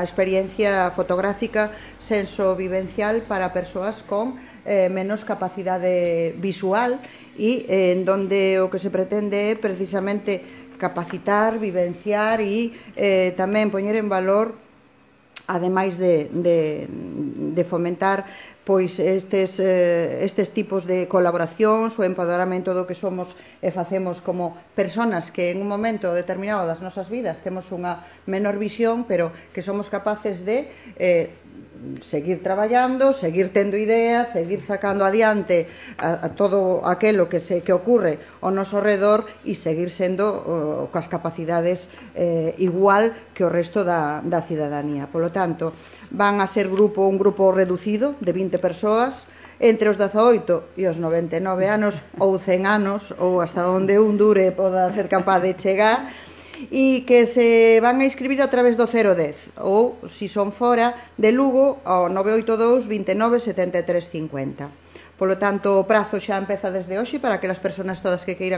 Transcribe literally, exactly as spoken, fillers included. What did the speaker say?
experiencia fotográfica sensovivencial para persoas con eh, menos capacidade visual e eh, en donde o que se pretende é precisamente capacitar, vivenciar e eh, tamén poñer en valor, ademais de, de, de fomentar pois estes, eh, estes tipos de colaboracións, o empoderamento do que somos e facemos como personas que en un momento determinado das nosas vidas temos unha menor visión, pero que somos capaces de eh, seguir traballando, seguir tendo ideas, seguir sacando adiante a, a todo aquelo que se que ocurre ao noso redor e seguir sendo uh, coas capacidades eh, igual que o resto da, da cidadanía. Polo tanto, van a ser grupo un grupo reducido de vinte persoas entre os dezaoito e os noventa e nove anos ou cen anos ou hasta onde un dure poda ser capaz de chegar, e que se van a inscribir a través do cero dez ou, se son fora de Lugo, ao nove oito dous, veintinueve, setenta e tres, cincuenta. Polo tanto, o prazo xa empeza desde hoxe para que as persoas todas que queiran